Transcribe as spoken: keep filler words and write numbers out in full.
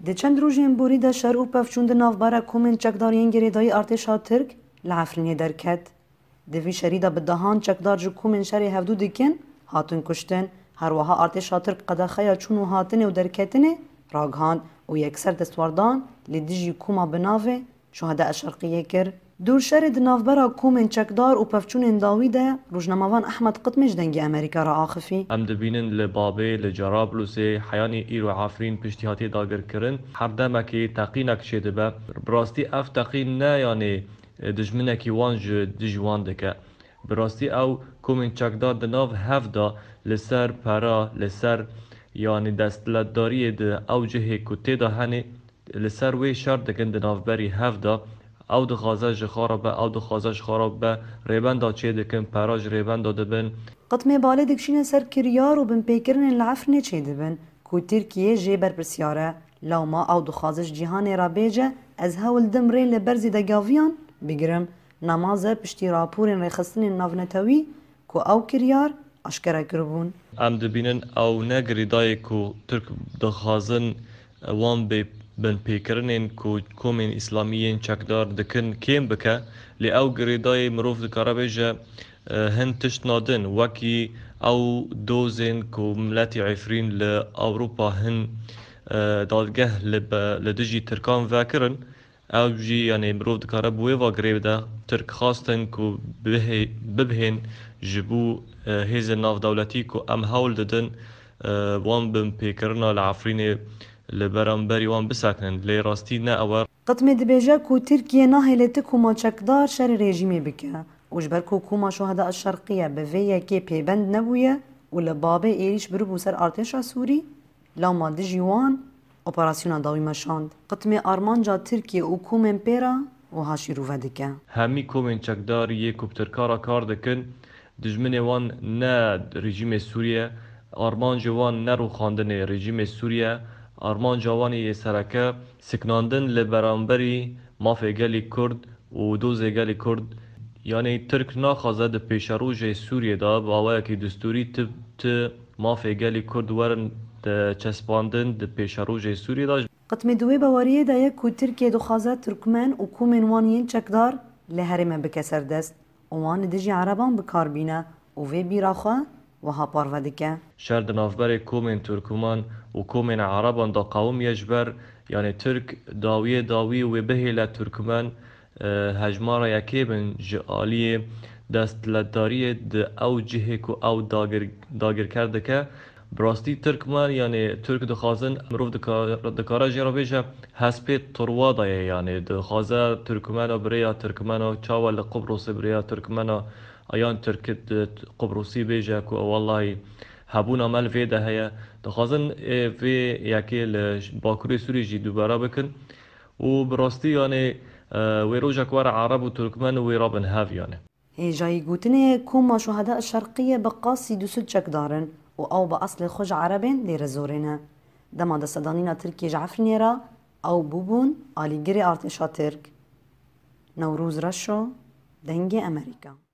Di çend rojên borî de şer û pevçûn di navbera komên çekdar yên girêdayî artêşa Tirk li Efrînê derket. Di vî şerî de bi dehan çekdar ji komên şerê hevdû dikin hatin kuştin. Her wiha artêşa Tirk qedexeya çûn û hatinê û derketinê ragihand û yekser destwerdan li dijî koma bi navê Şuheda Şerqiyê kir. Dûr şerê di navbera komên çekdar û pevçûnên dawî de rojnamevan Ehmed Qitmê ji Dengê Amerîka re axifî. Em dibînin li Babê, li Cerablusê, heyanî îro Efrîn piştî hatiye dagirkirin, her demekê teqînek çêdibe. Bi rastî ev teqîn ne, yanî, dijminekî wan ji dijî wan dike. Bi rastî ew komên çekdar di nav hev de li ser pera, li ser, yanî, desthilatdariyê di ew cihê ku tê de hene, li ser wê şer dikin di navberî hev de. Ew dixwaze ji xwe re be, ew dixwaze ji xwe re be, rêbenda çêdikin, pera ji rêbenda dibin. Qitmê balê dikişîne ser kiryar û binpêkirinên li Efrînê çêdibin ku Tirkiye jê berpirsyar e. Lewma ew dixwaze ji cîhanê re bêje, ez hewl dim rê li ber zêdegaviyan bigirim. Nemaze piştî raporên rêxistinên navnetewî ku ew kiryar aşkere kiribûn. Em dibînin ew ne girêdayê ku Tirk dixwazin wan bê binpêkirinên ku komên îslamî yên çekdar dikin kêm bike, lê ew girêdayê mirov dikare bêje, e, hin tiştna din, wekî ew dozên ku miletî Efrîn li Ewropa hin, e, dadgeh li be-, li dijî Tirkan vekirin. Ew jî, yanî, mirov dikare bi wê va girê bide. Tirk xwestin ku bihê-, bibihên ji bo, e, hêzên navdewletî ku em hewl didin, e, wan binpêkirina li Efrînê li beramberî wan bisekinin. Lê rastî ne ew e. Qitmê dibêje ku Tirkiye nahêle ti koma çekdar şerê rejîmê bike û ji ber ku koma Şuheda Şerqiye bi vê yekê pêbend nebûye û li Babê êrîş biribû ser artêşa Sûrî, lewma dijî wan operasyona dawî meşand. Qitmê armanca Tirkiye û komên pê re wiha şîrove dike. Hemî komên çekdar yê ku bi Tirka re kar dikin, dijminê wan ne rejîmê Sûrî ye, armancê wan ne rûxandinê rejîmê Sûrî ye, armanca wan yê sereke siknandin li beramberî mafê gelî Kurd û dozê gelî Kurd. Yanî Tirk naxwaze di pêşerojê Sûriyê de bi awayekî distûrî ti, ti mafê gelî Kurd werin, e, çespandin di pêşerojê Sûriyê de. Qitmê di wê baweriyê de ye ku Tirkiye dixwaze Tirkmen û komên wan yên çekdar li herêmê bike serdest û wan li dijî Ereban bi kar bîne û vê bîra xwe wiha parve dike. Şer di navberê komên Tirkmen û komên Ereban de qewimiye ji ber, yanî, Tirk dawiyê dawî wê bihêle Tirkmen, e, hejmara yekê bin ji aliyê desthilatdariyê di ew cihê ku ew dagir-, dagirker dike. Bi rastî Tirkmen, yanî, Tirk dixwazin, mirov dika-, dikare jê re bêje, hespê turwa de ye, yanî, dixwaze Tirkmena bi rêya Tirkmena, çawa li Qubrusê bi rêya Tirkmena, yan Tirk di Qubrusî bêje ku wellahî hebûna me li vê de heye. Dixwazin, ê, vê yekê li Bakurê Sûrî jî dubare bikin. Û bi rastî, yanî, e, wê rojek were Ereb û Tirkmen wê rabin hev, yanî. Hêjayî gotinê ye, koma Şuheda Şerqiye bi qasî du sed çekdar in û ew bi eslê xwe ji Erebên Dêrezorê ne. Dema destsedanîna Tirkiyê ji Efrînê re ew bûbûn alîgirê artêşa Tirk. Newroz Reşo, Dengê Amerîka.